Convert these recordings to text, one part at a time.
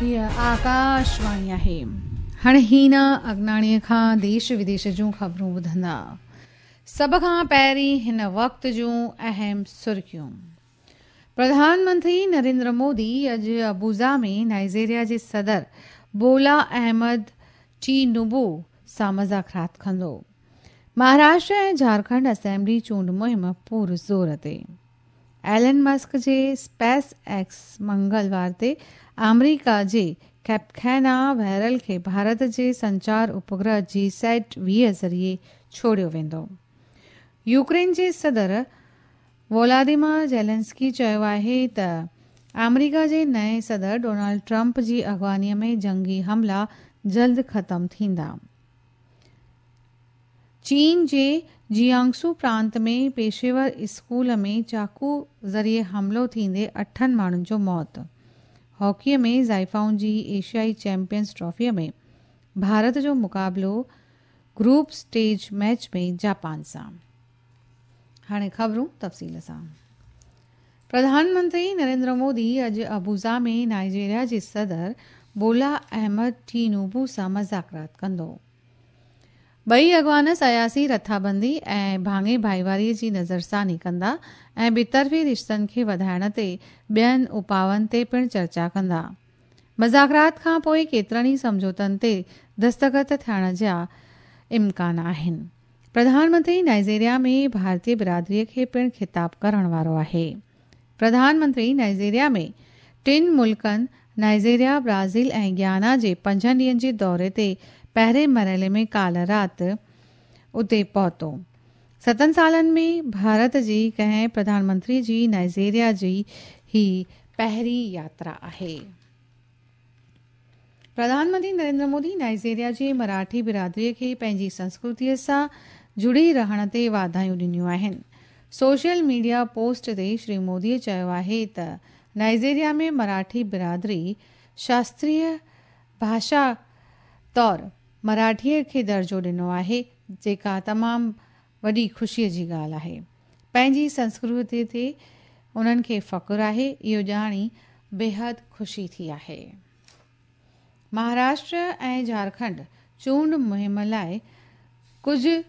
هيء آڪاشواڻي آهي. هاڻي هينا اگناڻيء کان ديش وديش جون خبرون ٻڌندا. سڀ کان پهرين هن وقت جون اهم سرخيون. پرڌان منتري نريندر مودي اڄ ابوجا ۾ نائيجيريا جي صدر بولا احمد ٽينوبو سان مذاڪرات ڪندو. مهاراشٽر ۽ جهارکنڊ اسيمبلي چونڊ مهم پور زور تي. ايلن مسڪ جي اسپيس ايڪس منگلوار تي آمريڪا جي ڪيپ ڪينا ويرل کي ڀارت جي سنچار اپگرهه جي سيٽ 20 ذريعي ڇوڙيو ويندو. يوڪرين جي صدر وولاديمير زيلنسڪي چيو آهي ته آمريڪا جي نئين صدر ڊونلڊ ٽرمپ جي اڳواڻيء ۾ جنگي حملا جلد ختم ٿيندا. چين جي جيانگسو پرانت ۾ پيشيور اسڪول ۾ چاقو ذريعي حملو ٿيندي اٺن ماڻهن جو موت. هاڪيء ۾ زائفائن جي ايشيائي چيمپيئنز ٽرافيء ۾ ڀارت جو مقابلو گروپ اسٽيج ميچ ۾ جاپان سان. هاڻي خبرون تفصيل سان. پرڌان منتري نريندر مودي اڄ ابوجا ۾ نائيجيريا جي صدر بولا احمد ٽينوبو سان مذاڪرات ڪندو. ٻئي اڳواڻ سياسي رٿابندي ۽ ڀاڱي ڀائيواري جي نظرثاني ڪندا ۽ ٻطرفي رشتن کي وڌائڻ تي ٻين اپائن تي پڻ چرچا ڪندا. مذاڪرات کان پوء ڪيترن ئي سمجهوتن تي دستخط ٿيڻ جا امڪان آهن. پرڌان منتري نائيجيريا ۾ ڀارتي برادري کي پڻ خطاب ڪرڻ وارو آهي. پرڌان منتري نائيجيريا ۾ ٽن ملڪن نائيجيريا، برازيل ۽ گيانا جي پنجن ڏينهن جي دوري تي پهرين مرحلي ۾ ڪالهه رات اتي پهتو. ستن سالن ۾ ڀارت جي ڪنهن پرڌان منتري جي نائيجيريا جي هي پهرين ياترا آهي. پرڌان منتري نريندر مودي نائيجيريا جي مراٺي برادري کي پنهنجي سنسڪرتيء سان جڙي رهڻ تي واڌايون ڏنيون آهن. سوشل ميڊيا پوسٽ تي شري مودي چيو آهي ته نائيجيريا ۾ مراٺي برادري شاستريه ڀاشا طور مراٺيء کي درجو ڏنو آهي، جيڪا تمام وڏي خوشيء جي ڳالهه آهي. پنهنجي سنسڪرتيء تي انهن کي فخر آهي، اهو ڄاڻي بيحد خوشي ٿي آهي. مهاراشٽر ۽ جهارکنڊ چونڊ مهم لاء ڪجهه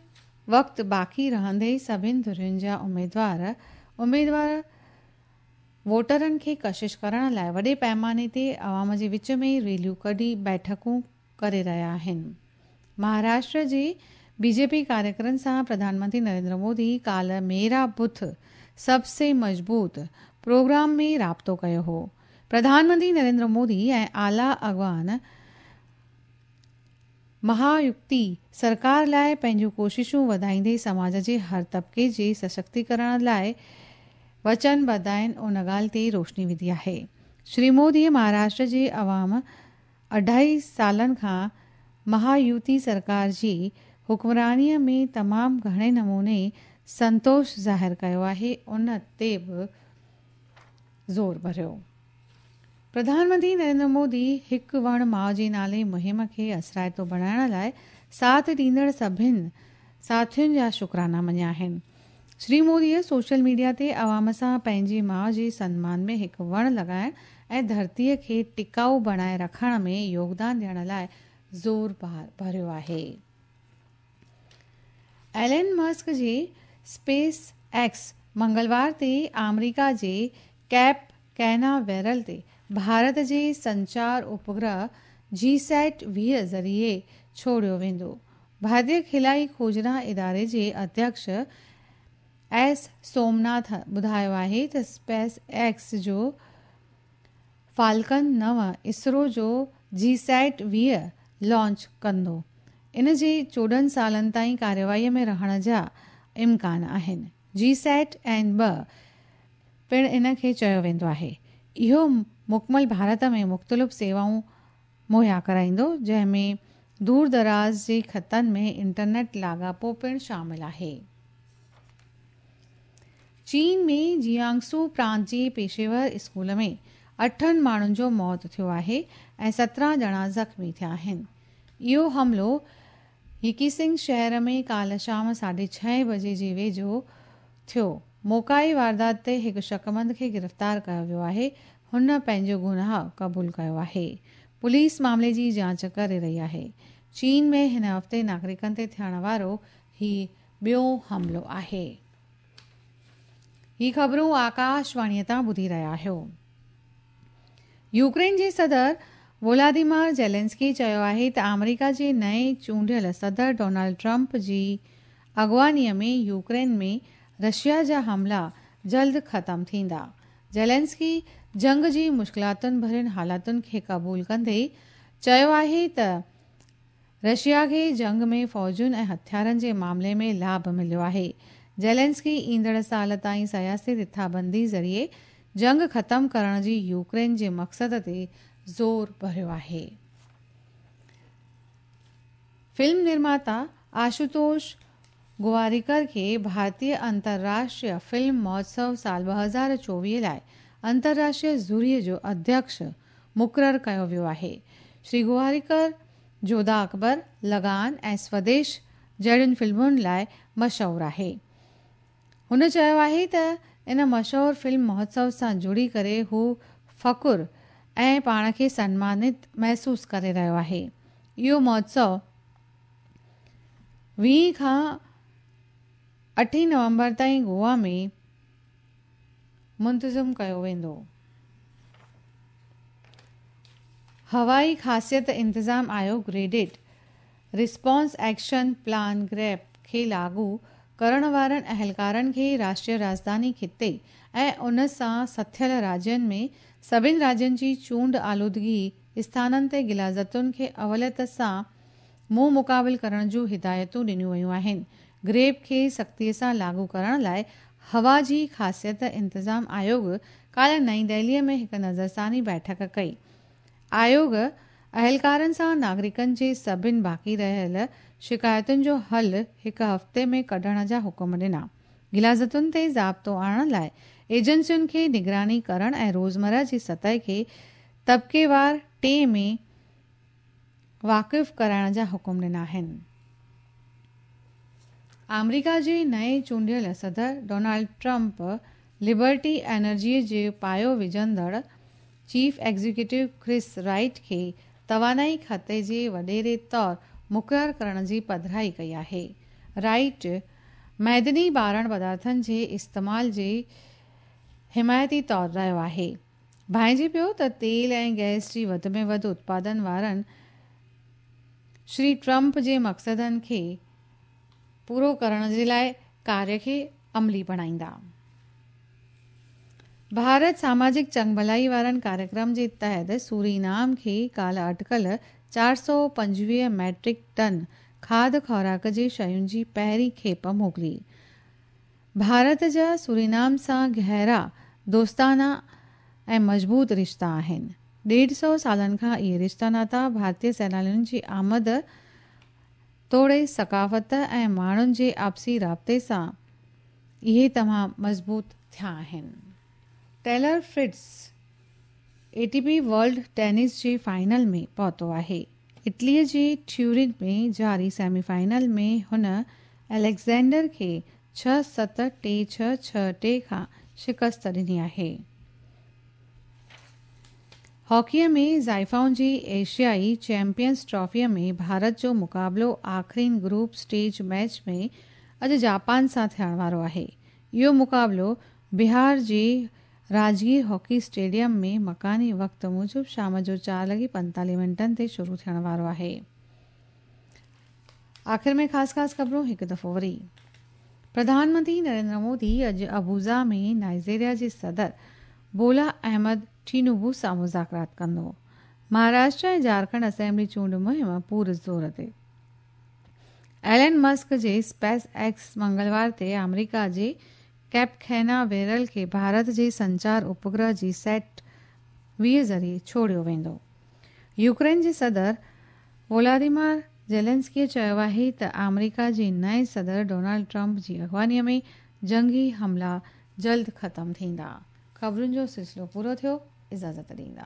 وقت باقي رهندي ئي سڀني ڌرين جا اميدوار اميدوار ووٽرن کي ڪشش ڪرڻ لاء وڏي پئماني تي عوام جي وچ ۾ ريليون ڪڍي بيٺڪون ڪري رهيا آهن. مهاراشٽر جي بي جي پي ڪاريڪرن سان پرڌان منتري نريندر مودي ڪالهه ميرا بوٿ سب سي مضبوط پروگرام ۾ رابطو ڪيو هو. پرڌان منتري نريندر مودي ۽ اعليٰ اڳواڻ مهايوتي سرڪار لاء پنهنجون ڪوششون وڌائيندي سماج جي هر طبقي جي سشڪتيڪرڻ لاء وچن ٻڌ آهن ان ڳالهه تي روشني وڌي آهي. شري مودي مهاراشٽر جي عوام اڍائي سالن کان مهايوتي سرڪار جي حڪمرانيء ۾ تمام گهڻي نموني سنتوش ظاهر ڪيو آهي ان تي به زور ڀريو. پرڌان منتري نريندر مودي هڪ وڻ ماء جي نالي مهم کي اثرائتو بڻائڻ لاء ساٿ ڏيندڙ سڀن ساٿين جا شڪرانا مڃيا آهن. شري مودي سوشل ميڊيا تي عوام سان پنهنجي ماء جي سنمان ۾ هڪ وڻ لڳائڻ ۽ ڌرتيء کي ٽڪائو بڻائي رکڻ ۾ يوگدان ڏيڻ لاء زور ڀريو آهي. ايلن مسڪ جي اسپيس ايڪس منگلوار تي آمريڪا جي ڪيپ ڪينا ويرل تي ڀارت جي سنچار اپگرهه جي سيٽ 20 ذريعي ڇوڙيو ويندو. ڀارتي خلائي کوجنا اداري جي اڌيڪش ايس سومناٿ ٻڌايو آهي ته اسپيس ايڪس جو فالڪن 9 اسرو جو جي سيٽ 20 لانچ ڪندو. ان جي 14 سالن تائين ڪارروائي ۾ رهڻ جا امڪان آهن. جي سيٽ اين 2 پڻ ان کي چيو ويندو آهي. اهو مڪمل ڀارت ۾ مختلف سيوائون مهيا ڪرائيندو، جنهن ۾ دور دراز جي خطن ۾ انٽرنيٽ لاڳاپو پڻ شامل آهي. چين ۾ جيانگسو پرانت جي پيشيور اسڪول ۾ اٺن ماڻهن جو موت ٿيو آهي ۽ 17 ڄڻا زخمي ٿيا آهن. اهو حملو يڪيسنگ شهر ۾ ڪالهه شام ساڍي ڇهين بجي جي ويجهو ٿيو. موقعي واردات تي هڪ شڪمند کي گرفتار ڪيو ويو آهي. هن پنهنجو گناهه قبول ڪيو آهي. پوليس معاملي جي جاچ ڪري رهي آهي. چين ۾ هن هفتي ناگرڪن تي ٿيڻ وارو هي ٻيو حملو آهي. هي خبرون آڪاشواڻيء تان ٻڌي رهيا آهيو. يوڪرين جي صدر وولاديمار زيلنسڪي چيو آهي ته آمريڪا جي نئين چونڊيل صدر ڊونلڊ ٽرمپ جي اڳواڻيء ۾ يوڪرين ۾ رشيا جا حملا جلد ختم ٿيندا. زيلنسڪي جنگ جي مشڪلاتن ڀرين حالتن کي قبول ڪندي چيو آهي ته رشيا کي جنگ ۾ فوجن ۽ هٿيارن جي معاملي ۾ لاڀ مليو آهي. زيلنسڪي ايندڙ سال تائين سياسي رٿابندي ذريعي جنگ ختم ڪرڻ جي يوڪرين جي مقصد تي زور ڀريو آهي. فلم نرماتا آشوتوش گواريڪر کي ڀارتيه انترراشٽريه فلم مهوتسو سال 2024 لاء انترراشٽريه جوريء جو اڌيڪش مقرر ڪيو ويو آهي. شري گواريڪر جوڌا اڪبر، لگان ۽ سوديش جهڙين فلمن لاء مشهور آهي. هن چيو آهي ته ان مشهور فلم مهوتسو سان جڙي ڪري هو فخر ۽ پاڻ کي سنمانت محسوس ڪري رهيو آهي. اهو مهوتسو 20 کان 8 نومبر تائين گوا ۾ منتظم ڪيو ويندو. هوائي خاصيت انتظام آيوگ graded response action plan GRAP کي لاڳو ڪرڻ وارن اهلڪارن کي راشٽريه راڄڌاني خطي ۽ ان سان سٿيل راجين ۾ سڀني راجين جي چونڊ آلودگي اسٿانن تي غلاظتن کي اوليت سان منهن مقابل ڪرڻ جون هدايتون ڏنيون ويون آهن. گريپ کي سختيء سان لاڳو ڪرڻ لاء هوا جي خاصيت انتظام آيوگ ڪالهه نئين دهليء ۾ هڪ نظرثاني بيٺڪ ڪئي. آيوگ اهلڪارن سان ناگرڪن جي سڀن باقي رهيل شڪايتن جو حل هڪ هفتي ۾ ڪڍڻ جا حڪم ڏنا. غلاظتن تي ضابطو آڻڻ لاء ايجنسين کي نگراني ڪرڻ ۽ روزمره جي سطح کي طبقيوار ٽي ۾ واقف ڪرائڻ جا حڪم ڏنا آهن. آمريڪا جي نئين چونڊيل صدر ڊونلڊ ٽرمپ لبرٽي انرجيء جي پايو وجهندڙ چيف ايگزيڪيوٽو ڪرس رائٽ کي توانائي کاتي جي وڏيري طور مقرر ڪرڻ جي پڌرائي ڪئي آهي. رائٽ معدني ٻارڻ پدارٿن جي استعمال جي حمايتي طور رهيو آهي. ڀانئجي پيو ته تيل ۽ گئس جي وڌ ۾ وڌ اتپادن وارن شري ٽرمپ جي مقصدن کي پورو ڪرڻ جي لاء ڪاريه کي عملي بڻائيندا. ڀارت ساماجڪ چڱڀلائي وارن ڪاريڪرم جي تحت سورينام کي ڪالهه اٽڪل 425 ميٽرڪ ٽن کاڌ خوراڪ جي شين جي پهرين کيپ موڪلي. ڀارت جا سورينام سان گهرا دوستانا ۽ مضبوط رشتا آهن. ڏيڍ سئو سالن کان اهي رشتا ناتا ڀارتي سيلانين جي آمد توڙي ثقافت ۽ ماڻهن جي آپسي رابطي سان اهي تمام مضبوط ٿيا آهن. Taylor Fritz A T P world tennis جي فائنل ۾ پهتو آهي. اٽلي جي ٽيورن ۾ جاري سيمي فائنل ۾ هن اليگزينڊر کي 6 7 3 6 6 3 کان شڪست ڏني آهي. هاڪيء ۾ زائفائن جي ايشيائي چيمپيئنز ٽرافيء ۾ ڀارت جو مقابلو آخرين گروپ اسٽيج ميچ ۾ اڄ جاپان سان ٿيڻ وارو آهي. اهو مقابلو بهار جي راجگير هاڪي اسٽيڊيم ۾ مڪاني وقت موجب شام جو 4 لڳي 45 منٽن تي شروع ٿيڻ وارو آهي. آخر ۾ خاص خاص خبرون هڪ دفعو وري. پرڌان منتري نريندر مودي اڄ ابوجا ۾ نائيجيريا جي صدر بولا احمد ٽينوبو سان مذاڪرات ڪندو. مهاراشٽر ۽ جهارکنڊ اسيمبلي چونڊ مهم پور زور تي. ايلن مسڪ جي اسپيس ايڪس منگلوار تي آمريڪا جي ڪيپ کينا ويرل کي ڀارت جي سنچار اپگرهه جي سيٽ 20 ذريعي ڇوڙيو ويندو. يوڪرين جي صدر ولاديمار زيلنسڪي چيو آهي ته آمريڪا جي نئين صدر ڊونلڊ ٽرمپ جي اڳواڻيء ۾ جنگي حملا جلد ختم ٿيندا. خبرن جو سلسلو پورو ٿيو. اجازت ڏيندا.